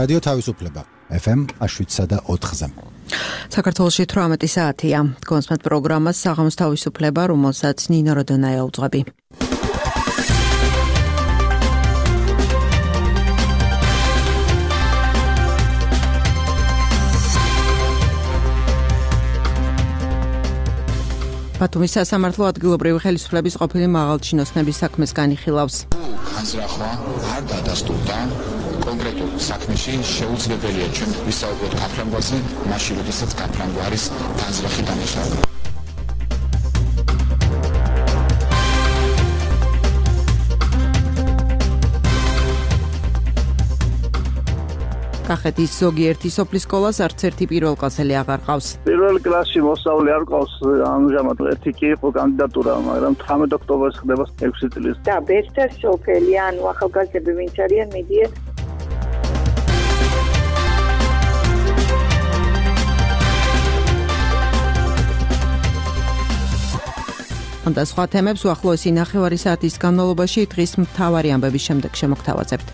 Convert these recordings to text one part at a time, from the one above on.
რადიო თავისუფლება FM 7.4-ზე. საქართველოში 18 საათია. კონსმეთ პროგრამას საღამოს თავისუფლება, რომელსაც ნინო როდონაია უძღვები. ბათუმის სასამართლო ადგილობრივი ხელისუფლების ყოფილი მაღალჩინოსნების საქმეს განიხილავს. განზრახვა არ დადასტურდა კონკრეტულ საქმეში შეუძლებელია ჩვენ ვისაუბროთ გაფრანგვაზე, მაშინ როდესაც გაფრანგვა არის განზრახი დანაშაული. კახეთის ზოგიერთი სოფლის სკოლას არც ერთი პირველ კლასელი აღარ ყავს. პირველ კლასში მოსწავლე არ ყავს, ამჟამად ერთი კი იყო კანდიდატურა, მაგრამ 18 ოქტომბერს ხდება 6 წლის. და ბერთა სოფელი, ანუ ახალგაზრდები ვინც არიან, მიდიან. და სხვა თემებს უახლოესი ნახევარი საათის განმავლობაში დღის მთავარი ამბების შემდეგ შემოგთავაზებთ.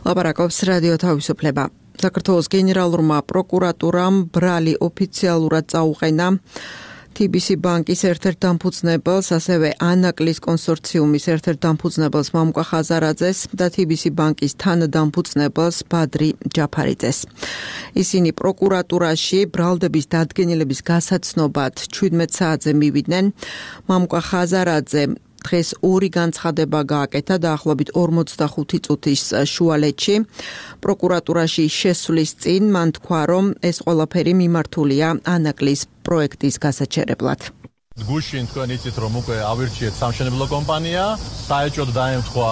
ლაპარაკობს რადიო თავისუფლება. საქართველოს გენერალურმა პროკურატურამ ბრალი ოფიციალურად წაუყენა TBC ბანკის ერთ-ერთ დამფუძნებელს, ასევე ანაკლის კონსორციუმის ერთ-ერთ დამფუძნებელს მამუკა ხაზარაძეს და TBC ბანკის თანადამფუძნებელს ბადრი ჯაფარიძეს. ისინი პროკურატურაში ბრალდების დადგენილების გასაცნობად 17 საათზე მივიდნენ. მამუკა ხაზარაძე დღეს ორი განცხადება გააკეთა დაახლოებით 45 წუთის შუალედში. პროკურატურაში შესვლის წინ მან თქვა, რომ ეს ყველაფერი მიმართულია ანაკლის პროექტის გასაჩერებლად. გუშინ თქვენ იცით, რომ უკვე ავირჩიეთ სამშენებლო კომპანია, საეჭვოდ დაემთხვა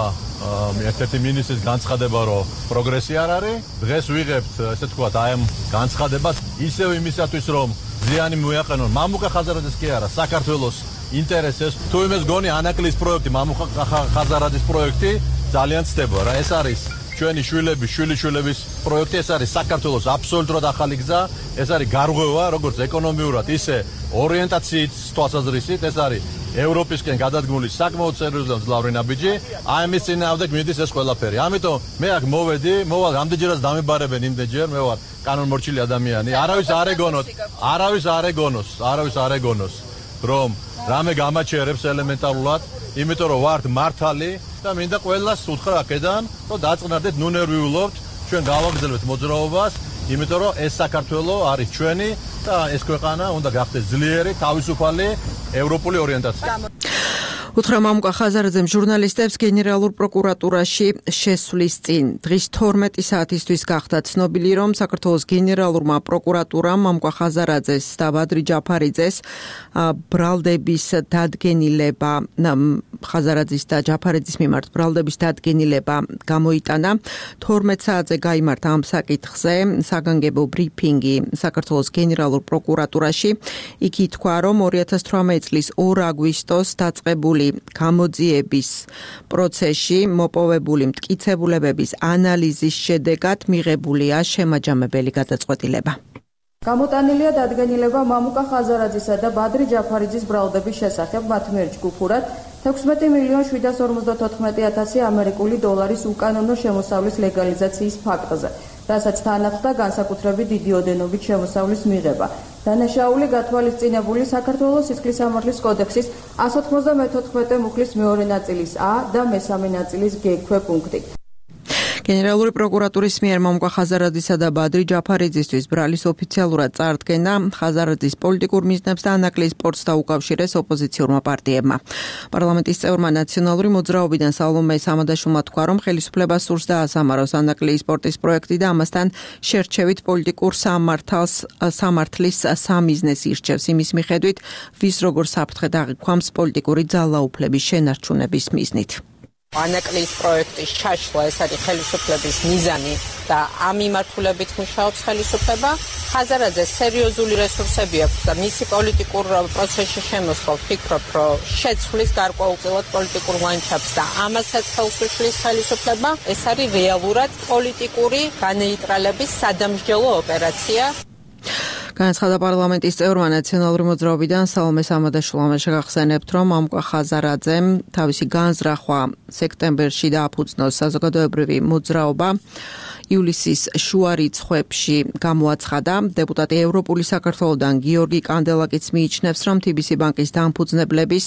ერთ-ერთი მინისტრის განცხადება, რომ პროგრესი არ არის. დღეს ვიღებთ, ესე ვთქვათ, აი ამ განცხადებას ისევ იმისათვის, რომ ზიანი მოეყენონ მამუკა ხაზარაძეს კი არა, საქართველოს ინტერესებს. თუ იმეს გონი ანაკლის პროექტი, მამუკა ხაზარაძის პროექტი ძალიან ცდება რა. ეს არის ჩვენი შვილების, შვილიშვილების პროექტი, ეს არის საქართველოს აბსოლუტურად ახალი გზა, ეს არის გარღვევა, როგორც ეკონომიურად, ისე ორიენტაციის თვალსაზრისით, ეს არის ევროპისკენ გადადგმული საკმაოდ სერიოზული და მძლავრი ნაბიჯი. აი ამის წინააღმდეგ მიდის ეს ყველაფერი. ამიტომ მე აქ მოვედი, მოვალ რამდენჯერაც დამებარებენ იმდენჯერ, მე ვარ კანონმორჩილი ადამიანი. არავის არ ეგონოს, რომ რამე გამაჩერებს ელემენტარულად, იმიტომ რომ ვართ მართალი და მინდა ყველას უთხრა აქედან, რომ დაწყნარდეთ, ნუ ნერვიულობთ, ჩვენ გავაგრძელებთ მოძრაობას, იმიტომ რომ ეს საქართველო არის ჩვენი და ეს ქვეყანა უნდა გახდეს ძლიერი, თავისუფალი ევროპული ორიენტაცია. უთხრა მამუკა ხაზარაძემ ჟურნალისტებს გენერალურ პროკურატურაში შესვლის წინ. დღის 12 საათისთვის გახდა ცნობილი, რომ საქართველოს გენერალურმა პროკურატურამ მამუკა ხაზარაძეს და ბადრი ჯაფარიძეს ბრალდების დადგენილება, ხაზარაძის და ჯაფარიძის მიმართ ბრალდების დადგენილება გამოიტანა. 12 საათზე გაიმართა ამ საკითხზე საგანგებო ბრიფინგი საქართველოს გენერალურ პროკურატურაში. იქ ითქვა, რომ 2018 წლის 2 აგვისტოს დაწყებული გამოძიების პროცესში მოპოვებული მტკიცებულებების ანალიზის შედეგად მიღებულია შემაჯამებელი გადაწყვეტილება. გამოტანილია დადგენილება მამუკა ხაზარაძისა და ბადრი ჯაფარიძის ბრალდების შესახებ მათ მიერ ჯგუფურად 16,754,000 ამერიკული დოლარის უკანონო შემოსავლის ლეგალიზაციის ფაქტზე, რასაც თან ახლდა განსაკუთრებით დიდი ოდენობით შემოსავლის მიღება. დანაშაული გათვალისწინებული საქართველოს სისხლისამართლის კოდექსის 194 მუხლის მეორე ნაწილის A და მესამე ნაწილის G ქვეპუნქტი. გენერალური პროკურატურის მიერ მამუკა ხაზარაძისა და ბადრი ჯაფარიძისთვის ბრალის ოფიციალურად წარდგენა ხაზარაძის პოლიტიკურ მიზნებს და ანაკლის სპორტს დაუკავშირეს ოპოზიციურმა პარტიებმა. პარლამენტის წევრმა ნაციონალური მოძრაობიდან სალომე სამადაშვილმა თქვა, რომ ხელისუფლებას სურს დაასამაროს ანაკლის სპორტის პროექტი და ამასთან შერჩევით პოლიტიკურ სამართლის სამიზნეს ირჩევს. იმის მიხედვით, ვის როგორ საფრთხე დაღიქვამს პოლიტიკური ძალაუფლების შენარჩუნების მიზნით. ანაკლის პროექტის ჩაშლა ეს არის ხელისუფლების მიზანი და ამ მიმართულებით მუშაობს ხელისუფლება. ხაზარაძეს სერიოზული რესურსები აქვს და მისი პოლიტიკურ პროცესში შემოსვლა ვფიქრობ, რომ შეცვლის გარკვეულწილად პოლიტიკურ ლანდშაფტს და ამასაც ხელს უშლის ხელისუფლება. ეს არის რეალურად პოლიტიკური განეიტრალების სადამსჯელო ოპერაცია. განაცხადა პარლამენტის წევრმა ნაციონალური მოძრაობიდან სალომე სამადაშვილმა შეგახსენებთ, რომ ამკვა ხაზარაძემ თავისი განზრახვა სექტემბერში დააფუძნოს საზოგადოებრივი მოძრაობა. ივლისის შუა რიცხვებში გამოაცხადა. დეპუტატი ევროპული საქართველოდან გიორგი კანდელაკიც მიიჩნევს, რომ TBC ბანკის დამფუძნებლების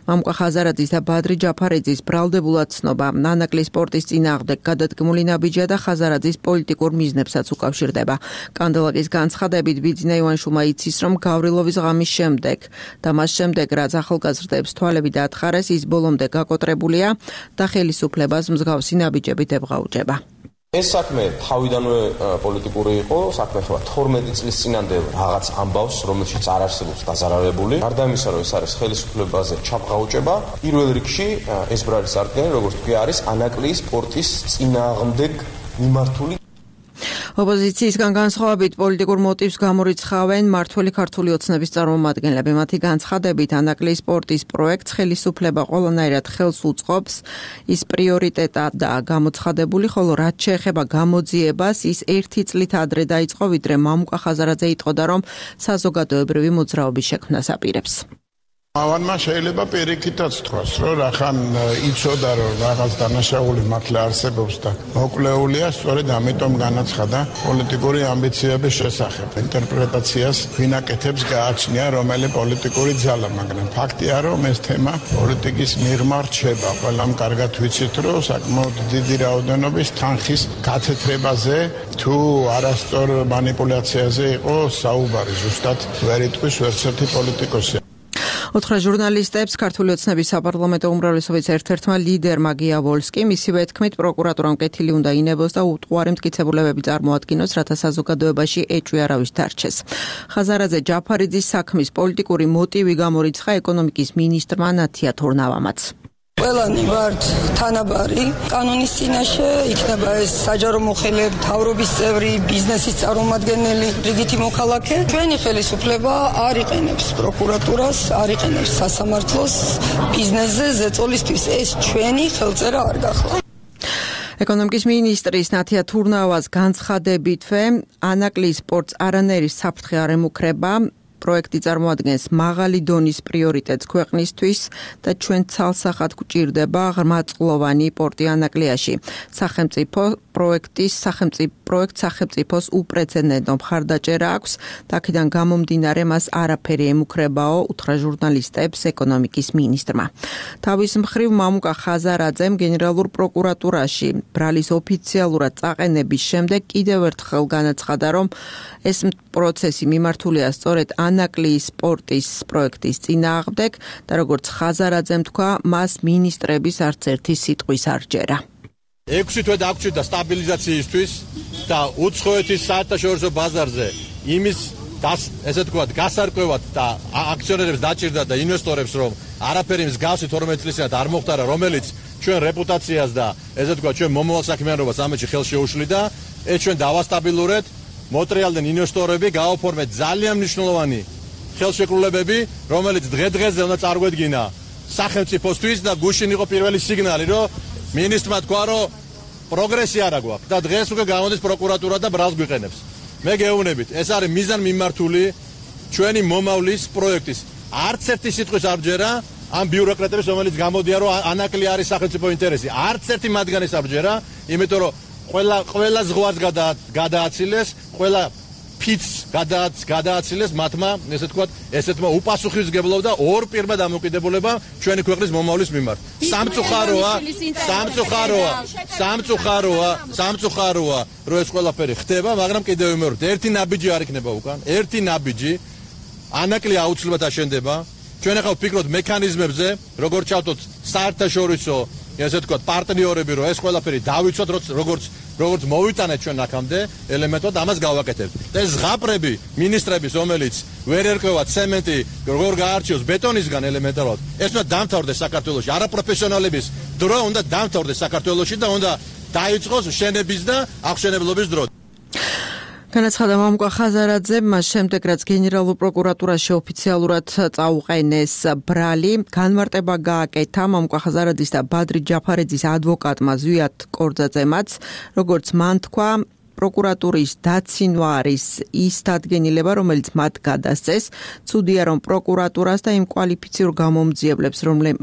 ამკვა ხაზარაძის და ბადრი ჯაფარიძის ბრალდებულად ცნობა ნანაკლი სპორტის წინააღმდეგ გადადგმული ნაბიჯია და ხაზარაძის პოლიტიკურ მიზნებსაც უკავშირდება. კანდელაკის განცხადებით ბიძინა ივანიშვილმა იცის, რომ გავრილოვის ღამის შემდეგ და მას შემდეგ, რაც ახალგაზრდებს თვალები დათხარეს, ის ბოლომდე გაკოტრებულია და ხელისუფლებას მსგავსი ნაბიჯებით ებღაუჭება. ეს საქმე თავიდანვე პოლიტიკური იყო, საქმე ხება 12 წლის წინამდე რაღაც ამბავს, რომელშიც არ არსებობს დაზარალებული. გარდა იმისა, რომ ეს არის ხელისუფლებაზე ჩაბღაუჭება, პირველ რიგში ეს ბრალი წარდგენა, როგორც თქვი, არის ანაკლიის სპორტის წინააღმდეგ მიმართული. ოპოზიციისგან განსხვავებით პოლიტიკურ მოტივს გამორიცხავენ მართველი ქართული ოცნების წარმომადგენლები. მათი განცხადებით, ანაკლიის სპორტის პროექტს ხელისუფლება ყველანაირად ხელს უწყობს, ის პრიორიტეტადაა გამოცხადებული, ხოლო რაც შეეხება გამოძიებას, ის 1 წლით ადრე დაიწყო, ვიდრე მამუკა ხაზარაძე იტყოდა, რომ საზოგადოებრივი მოძრაობის შექმნას აპირებს. ავანმა შეიძლება პირიქითაც თქვას, რომ რახან იცოდა, რომ რაღაც დანაშაული მართლა არსებობს და მოკლეულია, სწორედ ამიტომ განაცხადა პოლიტიკური ამბიციების შესახებ. ინტერპრეტაციას ვინაკეთებს გააჩნია რომელი პოლიტიკური ძალა, მაგრამ ფაქტია, რომ ეს თემა პოლიტიკის მიღმა რჩება. ყველამ კარგად ვიცით, რომ საკმაოდ დიდი რაოდენობის თანხის გათეთრებაზე თუ არასწორ манипуляციაზე იყო საუბარი, ზუსტად ვერ იტყვის ვერცერთი პოლიტიკოსი. ოთხრა ჟურნალისტებს ქართული ოცნების საპარლამენტო უმრავლესობის ერთ-ერთმა ლიდერმა გია ვოლსკიმ ისივე თქმით, პროკურატურამ კეთილი უნდა ინებოს და უტყუარი მტკიცებულებები წარმოადგინოს, რათა საზოგადოებაში ეჭვი არავის დარჩეს. ხაზარაძე ჯაფარიძის საქმის პოლიტიკური მოტივი გამორიცხა ეკონომიკის მინისტრმა ნათია თურნავამაც. ყველანი ვართ თანაბარი კანონის წინაშე, იქნება ეს საჯარო მოხელე, მთავრობის წევრი, ბიზნესის წარმომადგენელი, რიგითი მოქალაქე. ჩვენი ხელისუფლება არ იყენებს პროკურატურას, არ იყენებს სასამართლოს ბიზნესზე ზეწოლისთვის. ეს ჩვენი ხელწერა არ გახლა. ეკონომიკის მინისტრის ნათია თურნავას განცხადებითვე, ანაკლიის სპორტს არანაირი საფრთხე არ ემუქრება. პროექტი წარმოადგენს მაღალი დონის პრიორიტეტს ქვეყნისთვის და ჩვენ ცალსახად გვჭირდება ღრმაწყლოვანი პორტი ანაკლიაში. პროექტს სახელმწიფოს უპრეცედენტო მხარდაჭერა აქვს, აქედან გამომდინარე მას არაფერი ემუქრებაო, უთხრა ჟურნალისტებს ეკონომიკის მინისტრმა. თავის მხრივ მამუკა ხაზარაძემ გენერალურ პროკურატურაში ბრალის ოფიციალურად წაყენების შემდეგ კიდევ ერთხელ განაცხადა, რომ ეს პროცესი მიმართულია სწორედ ანაკლიის სპორტის პროექტის წინააღმდეგ და როგორც ხაზარაძემ თქვა, მას მინისტრების არც ერთი სიტყვის არ ჯერა. 6 თვე დაგვრჩით სტაბილიზაციისთვის და უცხოეთის საერთაშორისო ბაზარზე იმის ესე თქვათ გასარკვევად და აქციონერებს დაჭირდა და ინვესტორებს, რომ არაფერი მსგავსი 12 წლისად არ მოხდარა, რომელიც ჩვენ რეპუტაციას და ესე თქვათ ჩვენ მომავალ საქმიანობას ამაში ხელს შეუშლიდა, ეს ჩვენ დავასტაბილურეთ. მოტრიალდნენ ინვესტორები, გააფორმეთ ძალიან მნიშვნელოვანი ხელშეკრულებები, რომელიც დღე-დღეზე უნდა წარგვედგინა სახელმწიფოსთვის და გუშინ იყო პირველი სიგნალი, რომ მინისტრმა თქვა, რომ პროგრესი არა გვაქვს და დღეს უკვე გამოდის პროკურატურა და ბრალს გვიყენებს. მე გეუბნებით, ეს არის მიზანმიმართული ჩვენი მომავლის პროექტის. არც ერთი სიტყვის არ ჯერა ამ ბიუროკრატების, რომელიც გამოდიან, რომ ანაკლი არის სახელმწიფო ინტერესი. არც ერთი მათგანის არ ჯერა, იმიტომ რომ ყველა ზღვას გადააცილეს, ყველა ფიცს გადააცილეს მათმა, ესე თქვათ, ესეთმა უპასუხისმგებლობა და ორ პირმა დამოკიდებულება ჩვენი ქვეყნის მომავლის მიმართ. სამწუხაროა, რომ ეს ყველაფერი ხდება, მაგრამ კიდევ ვიმეორებ, ერთი ნაბიჯი არ იქნება უკან, ერთი ნაბიჯი ანაკლი აუცილებლად აშენდება. ჩვენ ახლა ვფიქრობთ მექანიზმებზე, როგორ ჩავთოთ საერთაშორისო ესე თქვათ პარტნიორები, რომ ეს ყველაფერი დავიცვათ, როგორც მოვიტანეთ ჩვენ აქამდე ელემენტად, ამას გავაკეთებთ. და ეს ზღაპრები მინისტრების, რომელიც ვერ ერკვევა ცემენტი, როგორ გაარჩიოს ბეტონისგან ელემენტარულად, ეს უნდა დამთავრდეს საქართველოში. არაპროფესიონალების დრო უნდა დამთავრდეს საქართველოში და უნდა დაიწყოს შენების და აღშენებლობის დრო. განაცხადა მამუკა ხაზარაძე, მას შემდეგ რაც გენერალურ პროკურატურაში ოფიციალურად წაუყენეს ბრალი, განმარტება გააკეთა მამუკა ხაზარაძის და ბადრი ჯაფარიძის ადვოკატმა ზვიად კორძაძემაც, როგორც მან თქვა, პროკურატურის დაცინვა არის ის დადგენილება, რომელიც მათ გადასცეს. ცუდია, რომ პროკურატურას და იმ კვალიფიციურ გამომძიებლებს,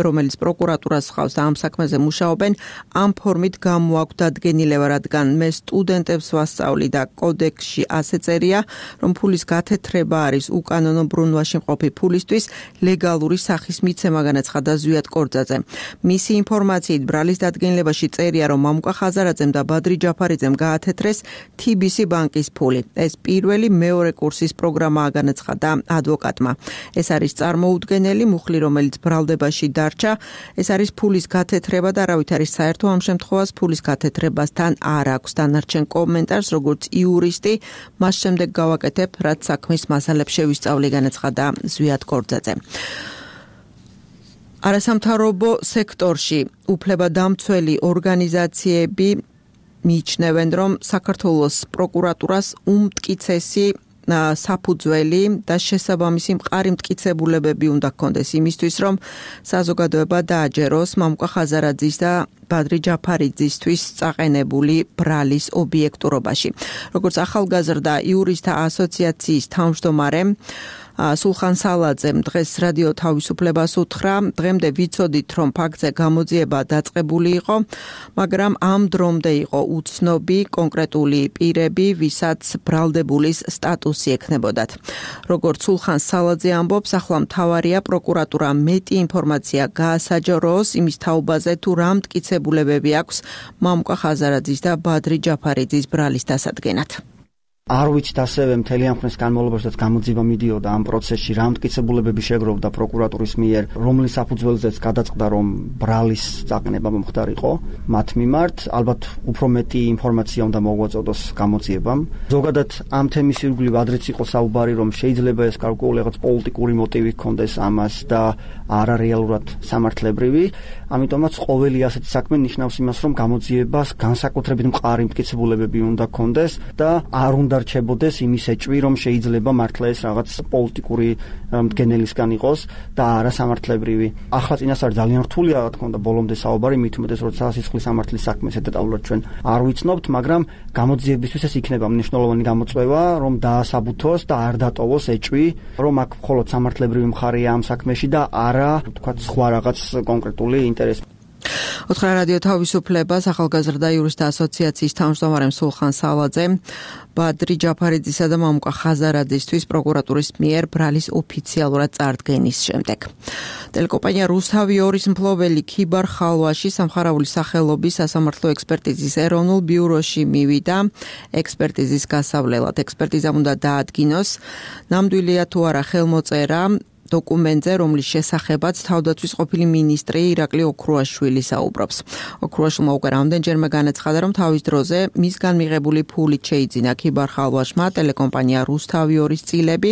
რომელიც პროკურატურას ხავს და ამ საქმეზე მუშაობენ, ამ ფორმით გამოაქვთ დადგენილება, რადგან მე სტუდენტებს ვასწავლი და კოდექსში ასე წერია, რომ ფულის გათეთრება არის უკანონო ბრუნვაში მყოფი ფულისთვის ლეგალური სახის მიცემა, განაცხადა ზვიად კორძაძე. მისი ინფორმაციით ბრალის დადგენილებაში წერია, რომ მამუკა ხაზარაძემ და ბადრი ჯაფარიძემ გაათეთრეს TBC ბანკის ფული. ეს პირველი მეორე კურსის პროგრამაა, განაცხადა ადვოკატმა. ეს არის წარმოუდგენელი მუხლი, რომელიც ბრალდებაში დარჩა. ეს არის ფულის გათეთრება და არავით არის საერთო ამ შემთხვევას ფულის გათეთრებასთან არ აქვს. დანარჩენ კომენტარს, როგორც იურისტი, მას შემდეგ გავაკეთებ, რაც საქმის მასალებს შევისწავლი, განაცხადა ზვიად კორძაძე. არასამთავრობო სექტორში უფლებადამცველი ორგანიზაციები მიიჩნევენ, რომ საქართველოს პროკურატურას უმტკიცესი საფუძველი და შესაბამისი მყარი მტკიცებულებები უნდა ჰქონდეს იმისთვის, რომ საზოგადოება დააჯეროს მამუკა ხაზარაძის და ბადრი ჯაფარიძისთვის წაყენებული ბრალის ობიექტურობაში. როგორც ახალგაზრდა იურისტთა ასოციაციის თავმჯდომარე სულხან სალაძემ დღეს რადიო თავისუფლებას უთხრა, დღემდე ვიცოდით, რომ ფაქტზე გამოძიება დაწყებული იყო, მაგრამ ამ დრომდე იყო უცნობი კონკრეტული პირები, ვისაც ბრალდებულის სტატუსი ექნებოდათ. როგორც სულხან სალაძე ამბობს, ახლა მთავარია პროკურატურა მეტი ინფორმაცია გაასაჯაროოს იმის თაობაზე, თუ რა მტკიცებულებები აქვს მამუკა ხაზარაძის და ბადრი ჯაფარიძის ბრალის დასადგენად. არ ვიცით ასევე მთელი ამ ხნის განმავლობაში გამოძიება მიდიოდა ამ პროცესში რა მტკიცებულებები შეგროვდა პროკურატურის მიერ, რომლის საფუძველზეც გადაწყდა, რომ ბრალის წაყენება მომხდარიყო მათ მიმართ. ალბათ უფრო მეტი ინფორმაცია უნდა მოგვაწოდოს გამოძიებამ. ზოგადად ამ თემის ირგვლივ ადრეც იყო საუბარი, რომ შეიძლება ეს გარკვეული რაღაც პოლიტიკური მოტივი ჰქონდეს ამას და არა რეალურად სამართლებრივი. ამიტომაც ყოველი ასეთი საქმე ნიშნავს იმას, რომ გამოძიებას განსაკუთრებით მყარი მტკიცებულებები უნდა ჰქონდეს და არ უნდა რჩებოდეს იმის ეჭვი, რომ შეიძლება მართლა ეს რაღაც პოლიტიკური მდგენელისგან იყოს და არა სამართლებრივი. ახლა წინასწარ ძალიან რთულია, რა თქმა უნდა, ბოლომდე საუბარი, მით უმეტეს, როცა სისხლის სამართლის საქმეს დეტალურად ჩვენ არ ვიცნობთ, მაგრამ გამოძიებისთვის ეს იქნება მნიშვნელოვანი გამოწვევა, რომ დაასაბუთოს და არ დატოვოს ეჭვი, რომ აქ მხოლოდ სამართლებრივი მხარეა ამ საქმეში და არა, თქვათ, სხვა რაღაც კონკრეტული ინტერესი. უთხრა რადიო თავისუფლებას ახალგაზრდა იურისტთა ასოციაციის თავმჯდომარემ სულხან სალაძემ ბადრი ჯაფარიძისა და მამუკა ხაზარაძისთვის პროკურატურის მიერ ბრალის ოფიციალურად წარდგენის შემდეგ. ტელეკომპანია რუსთავი 2-ის მფლობელი ქიბარ ხალვაში სამხარაული სახელობის სასამართლო ექსპერტიზის ეროვნულ ბიუროში მივიდა ექსპერტიზის გასავლელად. ექსპერტიზამ უნდა დაადგინოს, ნამდვილია თუ არა ხელმოწერა დოკუმენტზე, რომლის შესახებაც თავდაცვის ყოფილი მინისტრი ირაკლი ოქრუაშვილი საუბრობს. ოქრუაშვილმა უკვე რამდენჯერმე განაცხადა, რომ თავის დროზე მისგან მიღებული ფულით შეიძინა ქიბარ ხალვაშმა ტელეკომპანია რუსთავი 2-ის წილები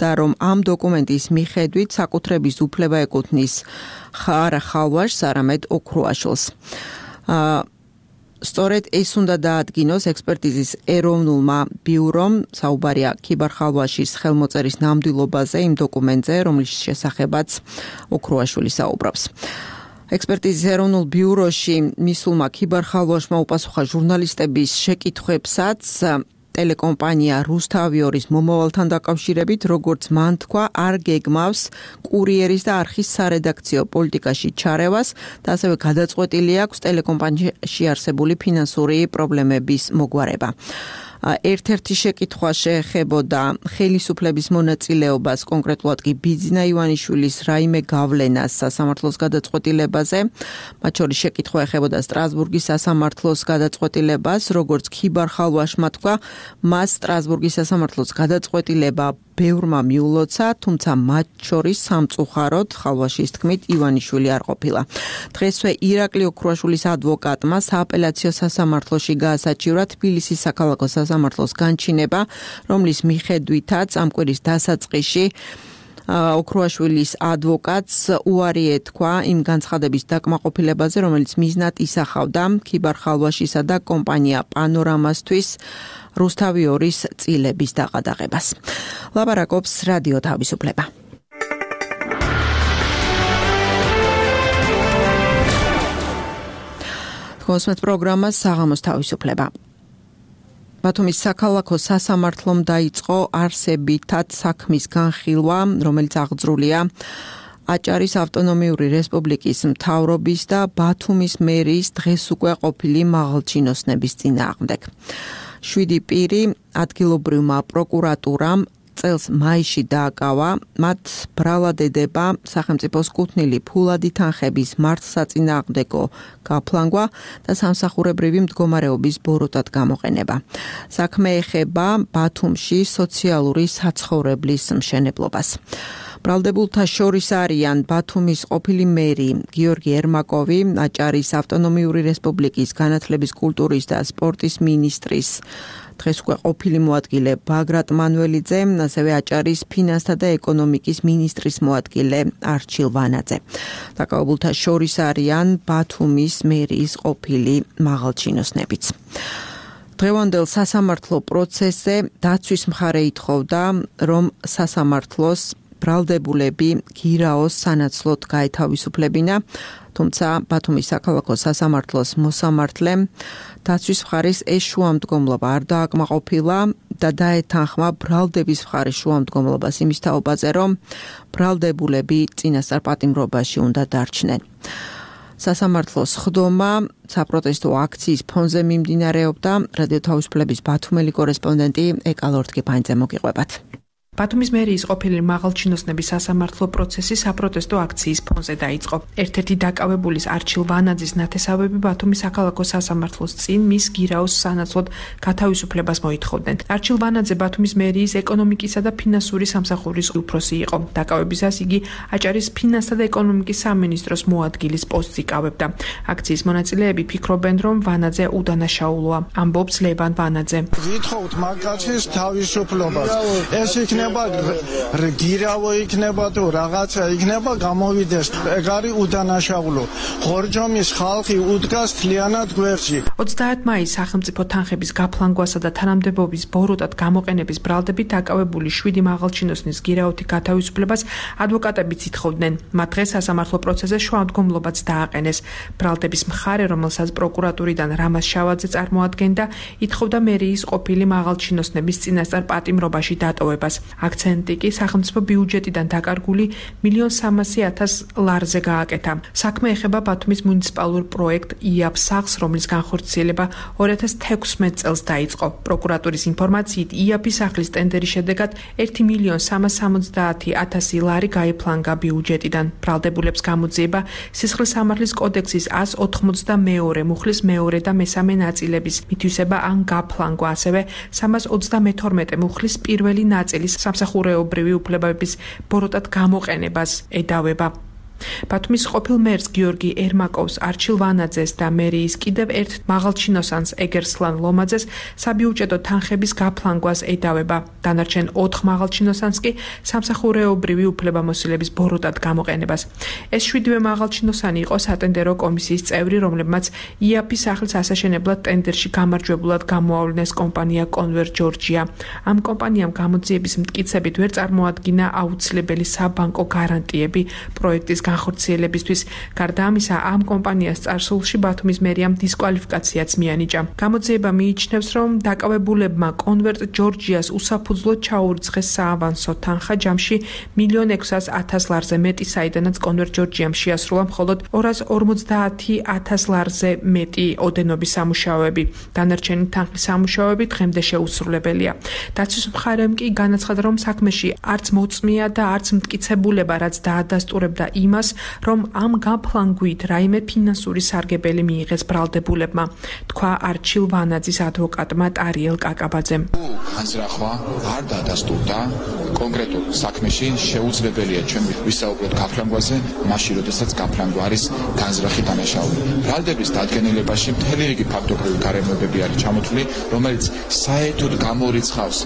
და რომ ამ დოკუმენტის მიხედვით საკუთრების უფლება ეკუთვნის არა ხალვაშს, არამედ ოქრუაშვილს. სწორედ ეს უნდა დაადგინოს ექსპერტიზის ეროვნულმა ბიურომ, საუბარია ქიბარ ხალვაშის ხელმოწერის ნამდვილობაზე იმ დოკუმენტზე, რომლის შესახებაც ოქრუაშვილი საუბრობს. ექსპერტიზის ეროვნულ ბიუროში მისულმა ქიბარ ხალვაშმა უპასუხა ჟურნალისტების შეკითხვებსაც ტელეკომპანია რუსთავი 2-ის მომავალთან დაკავშირებით, როგორც მან თქვა, არ გეგმავს კურიერის და არხის სარედაქციო პოლიტიკაში ჩარევას და ასევე გადაწყვეტილი აქვს ტელეკომპანიაში არსებული ფინანსური პრობლემების მოგვარება. ერთ-ერთი შეკითხვა შეეხებოდა ხელისუფლების მონაწილეობას, კონკრეტულად კი ბიძინა ივანიშვილის რაიმე გავლენას სასამართლოს გადაწყვეტილებაზე. მათ შორის შეკითხვა ეხებოდა სტრასბურგის სასამართლოს გადაწყვეტილებას, როგორც ქიბარ ხალვაშმა თქვა, მას სტრასბურგის სასამართლოს გადაწყვეტილება ბევრმა მიულოცა, თუმცა მათ შორის სამწუხაროდ ხალვაშის თქმით ივანიშვილი არ ყოფილა. დღესვე ირაკლი ოქრუაშვილის ადვოკატმა სააპელაციო სასამართლოში გაასაჩივრა თბილისის საქალაქო სასამართლოს განჩინება, რომლის მიხედვითაც ამ კვირის დასაწყისში ოქრუაშვილის ადვოკატს უარი ეთქვა იმ განცხადების დაკმაყოფილებაზე, რომელიც მიზნად ისახავდა ქიბარ ხალვაშისა და კომპანია პანორამასთვის რუსთავი 2-ის წილების დაყადაღებას. ლაპარაკობს რადიო თავისუფლება. თქვენს პროგრამას საღამოს თავისუფლება. ბათუმის საქალაქო სასამართლომ დაიწყო არსებითად საქმის განხილვა, რომელიც აღძრულია აჭარის ავტონომიური რესპუბლიკის მთავრობის და ბათუმის მერიის დღეს უკვე ყოფილი მაღალჩინოსნების წინააღმდეგ. 7 პირი ადგილობრივმა პროკურატურამ წელს მაისში დააკავა, მათ ბრალად ედება სახელმწიფოს კუთვნილი ფულადი თანხების მართლსაწინააღმდეგო გაფლანგვა და სამსახურებრივი მდგომარეობის ბოროტად გამოყენება. საქმე ეხება ბათუმში სოციალური საცხოვრებლის მშენებლობას. ბრალდებულთა შორის არიან ბათუმის ყოფილი მერი გიორგი ერმაკოვი, აჭარის ავტონომიური რესპუბლიკის განათლების, კულტურის და სპორტის მინისტრის დღეს უკვე ყოფილი მოადგილე ბაგრატ მანველიძე, ასევე აჭარის ფინანსთა და ეკონომიკის მინისტრის მოადგილე არჩილ ვანაძე. დაკავებულთა შორის არიან ბათუმის მერიის ყოფილი მაღალჩინოსნებიც. დღევანდელ სასამართლო პროცესზე დაცვის მხარე ითხოვდა, რომ სასამართლოს ბრალდებულები გირაოს სანაცვლოდ გაეთავისუფლებინა, თუმცა ბათუმის საქალაქო სასამართლოს მოსამართლემ დაცვის მხარის ეს შუამდგომლობა არ დააკმაყოფილა და დაეთანხმა ბრალდების მხარის შუამდგომლობას იმის თაობაზე, რომ ბრალდებულები წინასწარ პატიმრობაში უნდა დარჩნენ. სასამართლოს ხდომა საპროტესტო აქციის ფონზე მიმდინარეობდა. რადიო თავისუფლების ბათუმელი კორესპონდენტი ეკალორთკიფანიძე მოგიყვებათ. ბათუმის მერიის ყოფილი მაღალჩინოსნების სასამართლო პროცესი საპროტესტო აქციის ფონზე დაიწყო. ერთ-ერთი დაკავებულის არჩილ ვანაძის ნათესავები ბათუმის საქალაქო სასამართლოს წინ მის გირაოს სანაცვლოდ გათავისუფლებას მოითხოვდნენ. არჩილ ვანაძე ბათუმის მერიის ეკონომიკისა და ფინანსური სამსახურის უფროსი იყო. დაკავებისას იგი აჭარის ფინანსთა და ეკონომიკის სამინისტროს მოადგილის პოსტს იკავებდა. აქციის მონაწილეები ფიქრობენ, რომ ვანაძე უდანაშაულოა. ამბობს ლევან ვანაძე. ვითხოვთ მაგაცის თავისუფლებას. ეს იქნება გირავო იქნება თუ რაღაცა იქნება გამოვიდეს. ეგ არის უდანაშაულო. ხორჯომის ხალხი უდგას თლიანად გვერდში. 30 მაისს სახელმწიფო თანხების გაფლანგვასა და თანამდებობის ბოროტად გამოყენების ბრალდებით დაკავებული 7 მაღალჩინოსნის გირაოთი გათავისუფლებას ადვოკატებიც ითხოვდნენ. მათ დღეს სასამართლო პროცესზე შუამდგომლობაც დააყენეს. ბრალდების მხარე, რომელსაც პროკურატურიდან რამაზ შავაძე წარმოადგენდა, ითხოვდა მერიის ყოფილი მაღალჩინოსნების წინასწარ პატიმრობაში დატოვებას. აქცენტი კი სახელმწიფო ბიუჯეტიდან დაკარგული 1.300.000 ლარზე გააკეთა. საქმე ეხება ბათუმის მუნიციპალურ პროექტ იაფ სახლს, რომლის განხორციელება 2016 წელს დაიწყო. პროკურატურის ინფორმაციით, იაფის სახლის ტენდერის შედეგად 1.370.000 ლარი გაიფლანგა ბიუჯეტიდან. ბრალდებულებს გამოძიება სისხლის სამართლის კოდექსის 182 მუხლის მეორე და მესამე ნაწილების მითვისება ან გაფლანგვა, ასევე 332 მუხლის პირველი ნაწილის სამსახურეობრივი უფლებების ბოროტად გამოყენებას ედავება. ბათუმის ყოფილ მერს გიორგი ერმაკოვს, არჩილ ვანაძეს და მერიის კიდევ ერთ მაღალჩინოსანს ეგერსლან ლომაძეს საბიუჯეტო თანხების გაფლანგვას ედავება. დანარჩენ 4 მაღალჩინოსანს კი სამსახურეობრივი უფლებამოსილების ბოროტად გამოყენებას. ეს 7 მაღალჩინოსანი იყო სატენდერო კომისიის წევრი, რომლებმაც იაფის სახლის ასაშენებლად ტენდერში გამარჯვებულად გამოავლინეს კომპანია კონვერ ჯორჯია. ამ კომპანიამ გამოძიების მტკიცებით ვერ წარმოადგინა აუცილებელი საბანკო გარანტიები პროექტის განხორციელებისთვის. გარდა ამისა, ამ კომპანიას წარსულში ბათუმის მერიამ დისკვალიფიკაციაც მიანიჭა. გამოძიება მიიჩნევს, რომ დაკავებულებმა კონვერტ ჯორჯიას უსაფუძვლოდ ჩაურიცხეს საავანსო თანხა ჯამში 1.600.000 ლარზე მეტი, საიდანაც კონვერტ ჯორჯიამ შეასრულა მხოლოდ 250.000 ლარზე მეტი ოდენობის სამუშაოები. დანარჩენი თანხის სამუშაოები დღემდე შეუსრულებელია. დაცვის მხარემ კი განაცხადა, რომ საქმეში არც მოწმია და არც მტკიცებულება, რაც დაადასტურებდა იმას, რომ ამ გაფლანგვით რაიმე ფინანსური სარგებელი მიიღეს ბრალდებულებმა, თქვა არჩილ ვანაძის ადვოკატმა ტარიელ კაკაბაძემ. განზრახვა არ დაადასტურდა კონკრეტულ საქმეში შეუძლებელია ჩვენ ვისაუბროთ გაფლანგვაზე, მაშინ როდესაც გაფლანგვა არის განზრახი დანაშაული. ბრალდების დადგენილებაში მთელი რიგი ფაქტობრივი გარემოებები არის ჩამოთვლილი, რომელიც საერთოდ გამორიცხავს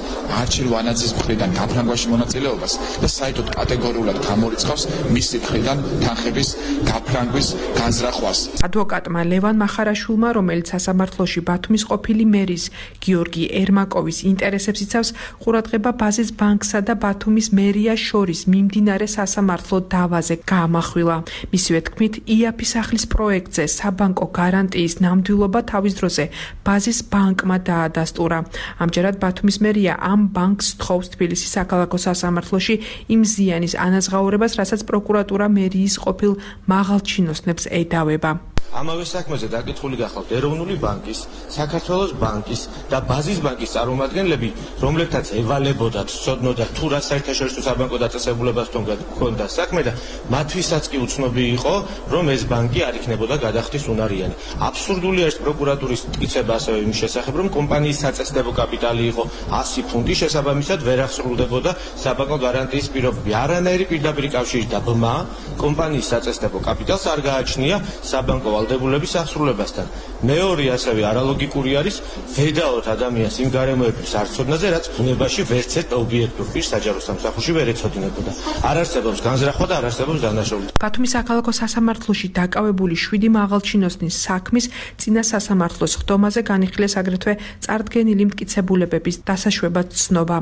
არჩილ ვანაძის მხრიდან გაფლანგვაში მონაწილეობას და საერთოდ კატეგორიულად გამორიცხავს მისი მხრიდან თანხების გაფლანგვის განზრახვას. ადვოკატმა ლევან მახარაშვილმა, რომელიც სასამართლოში ბათუმის ყოფილი მერის გიორგი ერმაკოვის ინტერესებს იცავს, ყურადღება ბაზის ბანკსა და ბათუმის მერიას შორის მიმდინარე სასამართლო დავაზე გაამახვილა. მისივე თქმით, იაფი სახლის პროექტზე საბანკო გარანტიის ნამდვილობა თავის დროზე ბაზის ბანკმა დაადასტურა. ამჯერად ბათუმის მერია ამ ბანკს თხოვს თბილისის საქალაქო სასამართლოში იმ ზიანის ანაზღაურებას, რასაც პროკურატურა მერიის ყოფილ მაღალჩინოსნებს ედავება. ამავე საქმეზე დაკითხული გახავთ ეროვნული ბანკის, საქართველოს ბანკის და ბაზის ბანკის წარმომადგენლები, რომლებთაც ევალებოდათ, ცოდნოდათ თუ რა საერთაშორისო საბანკო დაწესებულებასთან ჰქონდა საქმე და მათთვისაც კი უცნობი იყო, რომ ეს ბანკი არ იქნებოდა გადახდის უნარიანი. აბსურდული არის პროკურატურის მტკიცება ასევე იმის შესახებ, რომ კომპანიის საწესდებო კაპიტალი იყო 100 ფუნტი, შესაბამისად ვერ აღსრულდებოდა საბანკო გარანტიის პირობები. არანაირი პირდაპირ კავშირი და ბმა კომპანიის საწესდებო კაპიტალს არ გააჩნია საბანკო ვალდებულების აღსრულებასთან. მეორე ასევე არალოგიკური არის ვედაოთ ადამიანს იმ გარემოებების არცოდნაზე, რაც ბუნებაში ვერც ერთ ობიექტურ პირს საჯარო სამსახურში ვერ ეცოდინებოდა. არ არსებობს განზრახვა და არ არსებობს დანაშაულება. ბათუმის საქალაქო სასამართლოში დაკავებული 7 მაღალჩინოსნის საქმის წინა სასამართლოს ხდომაზე განიხილეს აგრეთვე წარდგენილი მტკიცებულებების დასაშვებად ცნობა.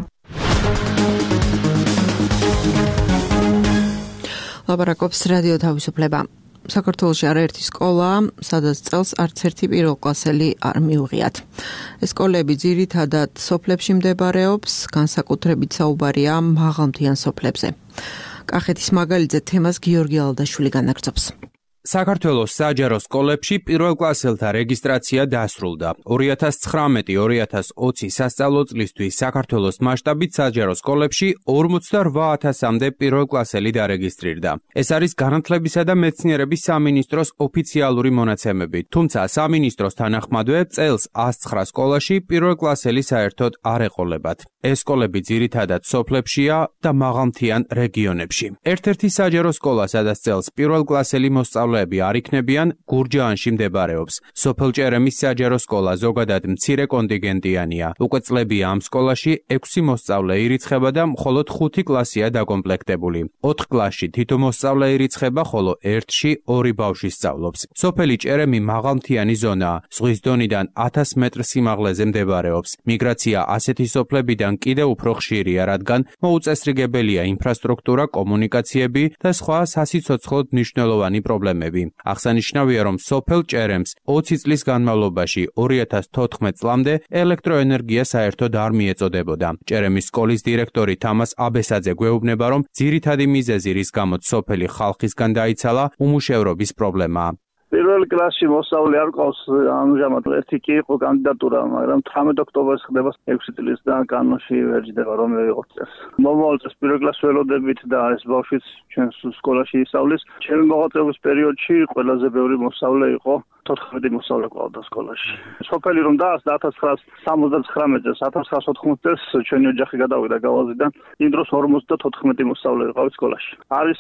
ლაპარაკობს რადიო თავისუფლება. საქართველოში არაერთი სკოლა, სადაც წელს არც ერთი პირველკლასელი არ მიუღიათ. ეს სკოლები ძირითადად სოფლებში მდებარეობს, განსაკუთრებით საუბარია მაღალმთიან სოფლებზე. კახეთის მაგალითზე თემას გიორგი ალდაშვილი განაგრძობს. საქართველოს საჯარო სკოლებში პირველკლასელთა რეგისტრაცია დასრულდა. 2019-2020 სასწავლო წლისთვის საქართველოს მასშტაბით საჯარო სკოლებში 48,000-მდე პირველკლასელი დარეგისტრირდა. ეს არის განათლებისა და მეცნიერების სამინისტროს ოფიციალური მონაცემები. თუმცა სამინისტროს თანახმადვე წელს 109 სკოლაში პირველკლასელი საერთოდ არ ეყოლებათ. ეს სკოლები ძირითადად სოფლებშია და მაღალმთიან რეგიონებში. ერთ-ერთი საჯარო სკოლა, სადაც წელს პირველკლასელი მოსწავლეები არ იქნებიან, გურჯაანში მდებარეობს. სოფელ ჭერემის საჯარო სკოლა ზოგადად მცირე კონტინგენტიანია. უკვე წლებია ამ სკოლაში 6 მოსწავლე ირიცხება და მხოლოდ 5 კლასია დაკომპლექტებული. 4 კლასში თითო მოსწავლე ირიცხება, ხოლო 1-ში 2 ბავშვი სწავლობს. სოფელი ჭერემი მაღალმთიანი ზონაა. ზღვის დონიდან 1000 მეტრ სიმაღლეზე მდებარეობს. მიგრაცია ასეთი სოფლებიდან კიდევ უფრო ხშირია, რადგან მოუწესრიგებელია ინფრასტრუქტურა, კომუნიკაციები და სხვა სასიცოცხლოდ მნიშვნელოვანი პრობლემები. აღსანიშნავია, რომ სოფელ ჭერემს 20 წლის განმავლობაში 2014 წლამდე ელექტროენერგია საერთოდ არ მიეწოდებოდა. ჭერემის სკოლის დირექტორი თამას აბესაძე გვეუბნება, რომ ძირითადი მიზეზი, რის გამოც სოფელი ხალხისგან დაიცალა, უმუშევრობის პრობლემაა. პირველ კლასში მოსწავლე არ ყავს, ამჟამად ერთი კი იყო კანდიდატურა, მაგრამ 18 ოქტომბერს ხდება 6 წლის და კანონში ვერ ჯდება რომ იყოს წელს. მომავალ წელს პირველ კლასს ველოდებით და ეს ბავშვიც ჩვენს სკოლაში ისწავლის. ჩემი მოღვაწეობის პერიოდში ყველაზე ბევრი მოსწავლე იყო 14 მოსწავლე ყავდა სკოლაში. სოფელი რომ დაასწრა 1979 წელს, 1980 წელს ჩვენი ოჯახი გადავიდა გავაზიდან. იმ დროს 54 მოსწავლე ყავდა სკოლაში. არის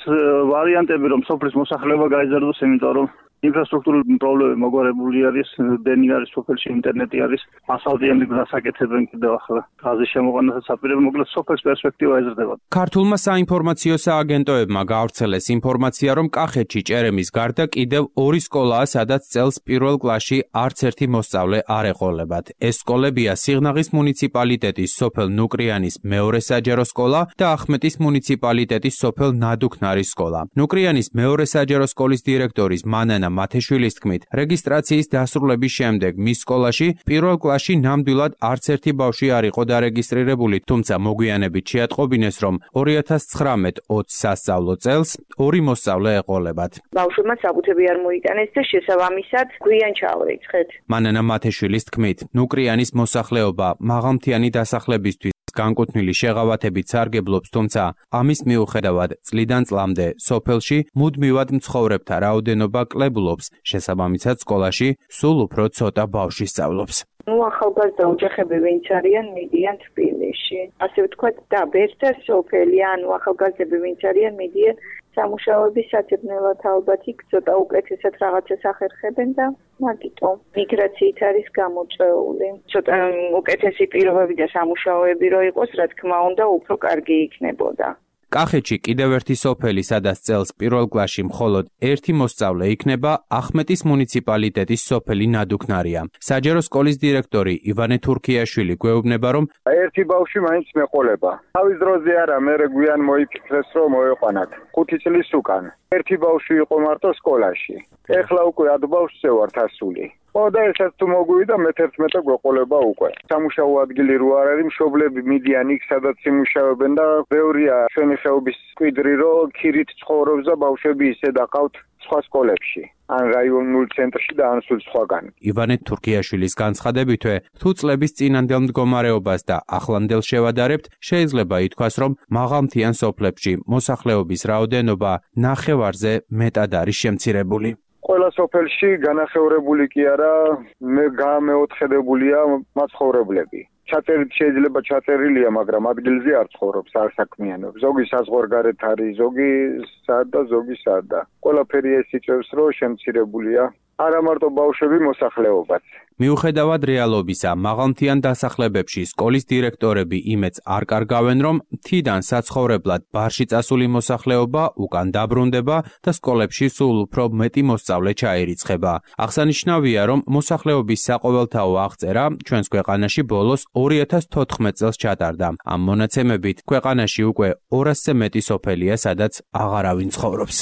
ვარიანტები რომ სოფლის მოსახლეობა გაიზარდოს, იმიტომ რომ ინფრასტრუქტურული პრობლემები მოგვარებული არის, დენი არის სოფელში, ინტერნეტი არის, ასფალტიანი გზას აკეთებენ კიდევ ახლა. გაზის შემოყვანასაც აპირებენ, მოკლედ სოფლის პერსპექტივა ეზრდება. ქართულმა საინფორმაციო სააგენტოებმა გაავრცელეს ინფორმაცია, რომ კახეთში ჭერემის გარდა კიდევ 2 სკოლაა, სადაც წელს პირველ კლასში არც ერთი მოსწავლე არ ეყოლებათ. ეს სკოლებია სიღნაღის მუნიციპალიტეტის სოფელ ნუკრიანის მეორე საჯარო სკოლა და ახმეტის მუნიციპალიტეტის სოფელ ნადუქნარის სკოლა. ნუკრიანის მეორე საჯარო სკოლის დირექტორის მანანა მათეშვილის თქმით, რეგისტრაციის დასრულების შემდეგ მის სკოლაში პირველ კლასში ნამდვილად არც ერთი ბავშვი არ იყო დარეგისტრირებული, თუმცა მოგვიანებით შეატყობინეს, რომ 2019-20 სასწავლო წელს 2 მოსწავლე ეყოლებათ. ბავშვებმა საკუთრები არ მოიტანეს და შესაბამისად გვიან ჩავერიცხეთ. მანანა მათეშვილის თქმით, ნუკრიანის მოსახლეობა მაღალმთიანი დასახლებისთვის განკუთვნილი შეღავათებით სარგებლობს, თუმცა ამის მიუხედავად წლიდან წლამდე სოფელში მუდმივად მცხოვრებთა რაოდენობა კლებულობს, შესაბამისად სკოლაში სულ უფრო ცოტა ბავშვი სწავლობს. ახალგაზრდა ოჯახები ვინც არიან მიდიან თბილისში. ასე ვთქვათ, დაბერთა სოფელი, ახალგაზრდები ვინც არიან მიდიან სამუშაოების სათებნელად, ალბათ იქ ცოტა უკეთესად რაღაცას ახერხებენ და მაგიტომ მიგრაციით არის გამოწვეული. ცოტა უკეთესი პირობები და სამუშაოები რო იყოს, რა თქმა უნდა, უფრო კარგი იქნებოდა. კახეთში კიდევ ერთი სოფელი, სადაც წელს პირველ კლასში მხოლოდ 1 მოსწავლე იქნება, ახმეტის მუნიციპალიტეტის სოფელი ნადუქნარია. საჯარო სკოლის დირექტორი ივანე თურქიაშვილი გვეუბნება, რომ ერთი ბავშვი მაინც მეყოლება. თავის დროზე არა, მე გვიან მოიფიქრეს რომ მოეყვანათ. 5 წლის უკან. ერთი ბავშვი იყო მარტო სკოლაში. ეხლა უკვე 10 ბავშვზე ვართ ასული. და ესაც თუ მოგვივიდა მე-11 გვეყოლება უკვე. სამუშაო ადგილი რო არ არის, მშობლები მიდიან იქ, სადაც იმუშავებენ და ბევრია ჩვენი ხეობის კვიდრი, რომ ქირით ცხოვრობს და ბავშვები ისე დაყავთ სხვა სკოლებში. ან რაიონულ ცენტრში და ან სულ სხვაგან. ივანე თურქიაშვილის განცხადებითვე, თუ წლების წინანდელ მდგომარეობას და ახლანდელ შევადარებთ, შეიძლება ითქვას, რომ მაღალმთიან სოფლებში მოსახლეობის რაოდენობა ნახევარზე მეტად არის შემცირებული. ყველა სოფელში განახევრებული კი არა, გამეოთხედებულია მაცხოვრებლები. ჩაწერით შეიძლება ჩაწერილია, მაგრამ ადგილზე არ ცხოვრობს, არ საქმიანობს. ზოგი საზღვარგარეთ არის, ზოგი სად და ზოგი სადა. ყველაფერი ეს იწევს, რომ შემცირებულია. არა მარტო ბავშვები, მოსახლეობაც. მიუხედავად რეალობისა, მაღალმთიან დასახლებებში სკოლის დირექტორები იმედს არ კარგავენ, რომ მთიდან საცხოვრებლად ბარში წასული მოსახლეობა უკან დაბრუნდება და სკოლებში სულ უფრო მეტი მოსწავლე ჩაირიცხება. აღსანიშნავია, რომ მოსახლეობის საყოველთაო აღწერა ჩვენს ქვეყანაში ბოლოს 2014 წელს ჩატარდა. ამ მონაცემებით ქვეყანაში უკვე 200-ზე მეტი სოფელია, სადაც აღარავინ ცხოვრობს.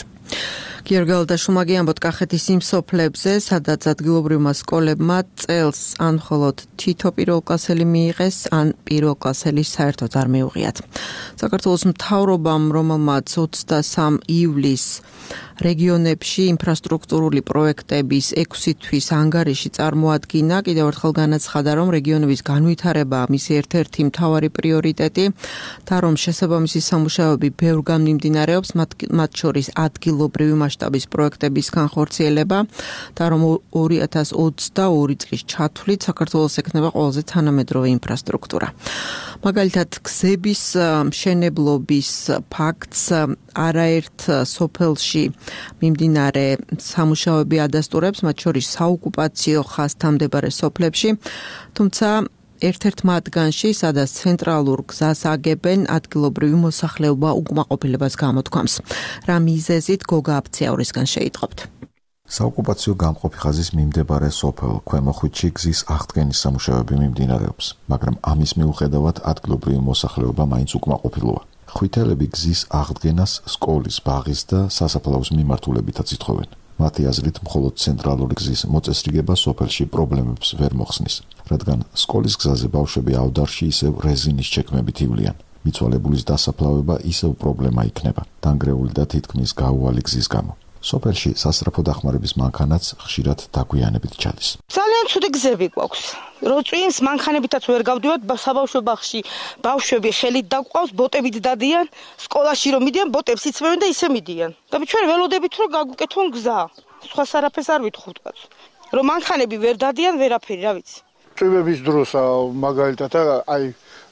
გიორგი ალდაშვილმა ამბობთ კახეთის იმ სოფლებზე, სადაც ადგილობრივმა სკოლებმა წელს ან მხოლოდ თითო პირველკლასელი მიიღეს, ან პირველკლასელი საერთოდ არ მიუღიათ. საქართველოს მთავრობამ, რომელმაც 23 ივლისს რეგიონებში ინფრასტრუქტურული პროექტების 6 თვის ანგარიში წარმოადგინა, კიდევ ერთხელ განაცხადა, რომ რეგიონების განვითარებაა მისი ერთ-ერთი მთავარი პრიორიტეტი და რომ შესაბამისი სამუშაოები ბევრგან მიმდინარეობს, მათ შორის ადგილობრივი მასშტაბის პროექტების განხორციელება და რომ 2022 წლის ჩათვლით საქართველოს ექნება ყველაზე თანამედროვე ინფრასტრუქტურა. მაგალითად, გზების მშენებლობის ფაქტს არაერთ სოფელში მიმდინარე სამუშაოები ადასტურებს, მათ შორის საოკუპაციო ხაზთან მდებარე სოფლებში, თუმცა ერთ-ერთ მათგანში, სადაც ცენტრალურ გზას აგებენ, ადგილობრივი მოსახლეობა უკმაყოფილებას გამოთქვამს. რა მიზეზით გოგა აფციაურისგან შეიტყობთ? საოკუპაციო გამყოფი ხაზის მიმდებარე სოფელ ქვემო ხვიჩში გზის აღდგენის სამუშაოები მიმდინარეობს, მაგრამ ამის მიუხედავად ადგილობრივი მოსახლეობა მაინც უკმაყოფილოა. ხვითელები გზის აღდგენას სკოლის, ბაღის და სასაფლაოს მიმართულებითაც ითხოვენ. მათი აზრით, მხოლოდ ცენტრალური გზის მოწესრიგება სოფელში პრობლემებს ვერ მოხსნის, რადგან სკოლის გზაზე ბავშვები ავდარში ისევ რეზინის ჩექმებით ივლიან. მიცვალებულის დასაფლავება ისევ პრობლემა იქნება, დანგრეული და თითქმის გაუვალი გზის გამო. სოფელში სასწრაფო დახმარების მანქანაც ხშირად დაგვიანებით ჩადის. ძალიან ცუდი გზები გვაქვს. რო წვიმს მანქანებითაც ვერ გავდივართ, საბავშვო ბაღში ბავშვები ხელით დაგვყავს, ბოტებით დადიან, სკოლაში რომ მიდიან, ბოტებს იცმევენ და ისე მიდიან. და ჩვენ ველოდებით რომ გაგვიკეთონ გზა. სხვა არაფერს არ ვითხოვთ კაც. რომ მანქანები ვერ დადიან, ვერაფერი, რა ვიცი. წვიმების დროს მაგალითად აი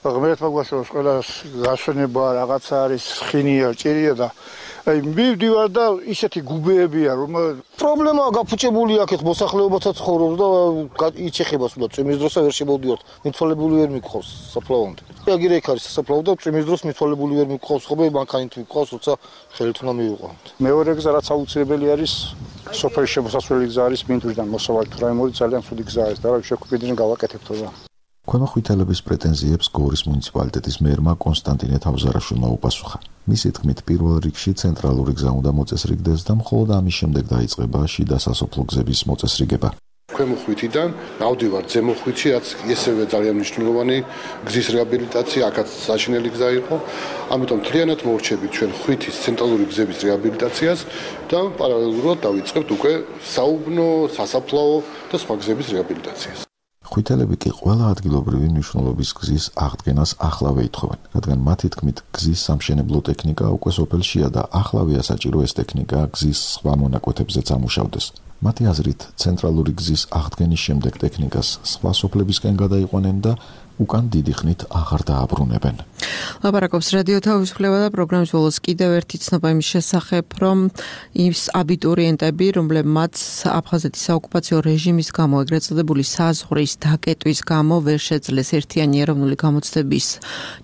ღმერთმა გვაშოროს ყველას გასვენება რაღაცა არის, ხინია, ჭირია და აი მივდივარ და ისეთი გუბეებია რომ პრობლემაა გაფუჭებული აქეთ მოსახლეობაცაც ცხოვრობს და იჩეხება სულ წვიმის დროსა ვერ შემოვდივართ მიცვალებული ვერ მიყავს საფლავამდე. აგირე იქ არის საფლავ და წვიმის დროს მიცვალებული ვერ მიყავს ხოლმე მანქანით მიყავს როცა ხელით უნდა მივიყვანოთ. მეორე გზა რაც აუცილებელი არის სოფლის შემოსასვლელი გზა არის მინდვრიდან მოსავალ თრაიმორი ძალიან ცუდი გზა არის და რა შეგვიძლია გავაკეთებთ რა. ქვემო ხვითელების პრეტენზიებს გორის მუნიციპალიტეტის მერმა კონსტანტინე თავზარაშვილმა უპასუხა. მისი თქმით, პირველ რიგში ცენტრალური გზა უნდა მოწესრიგდეს და მხოლოდ ამის შემდეგ დაიწყება შიდა სასოფლო გზების მოწესრიგება. ქვემო ხვითიდან ავდივარ ზემო ხვითში, რაც ისევე ძალიან მნიშვნელოვანი გზის რეაბილიტაცია, აქაც საშინელი გზა იყო. ამიტომ მთლიანად მოვრჩებით ჩვენ ხვითის ცენტრალური გზების რეაბილიტაციას და პარალელურად დავიწყებთ უკვე საუბნო, სასაფლაო და სხვა გზების რეაბილიტაციას. ხვითელები კი ყველა ადგილობრივი მნიშვნელობის გზის აღდგენას ახლავე ითხოვენ, რადგან მათი თქმით, გზის სამშენებლო ტექნიკა უკვე სოფელშია და ახლავეა საჭირო ეს ტექნიკა გზის სხვა მონაკვეთებზეც ამუშავდეს. მათი აზრით, ცენტრალური გზის აღდგენის შემდეგ ტექნიკას სხვა სოფლებისკენ გადაიყვანენ და უკან დიდი ხნით აღარ დააბრუნებენ. ლაპარაკობს რადიო თავისუფლება და პროგრამის ბოლოს კიდევ ერთი ცნობა იმის შესახებ, რომ ის აბიტურიენტები, რომლებმაც აფხაზეთის საოკუპაციო რეჟიმის გამო ეგრეთ წოდებული საზღვრის დაკეტვის გამო ვერ შეძლეს ერთიანი ეროვნული გამოცდების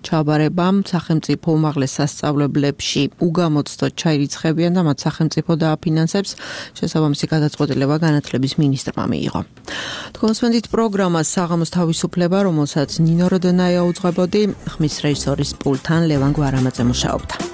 ჩაბარება, სახელმწიფო უმაღლეს სასწავლებლებში უგამოცდოდ ჩაირიცხებიან და მათ სახელმწიფო დააფინანსებს, შესაბამისი გადაწყვეტილება განათლების მინისტრმა მიიღო. თქვენს პროგრამა საღამოს თავისუფლება, რომელსაც ნინო როდონაია უძღვებოდი, ხმის რეჟისორის პულტთან ლევან გვარამაძე მუშაობდა.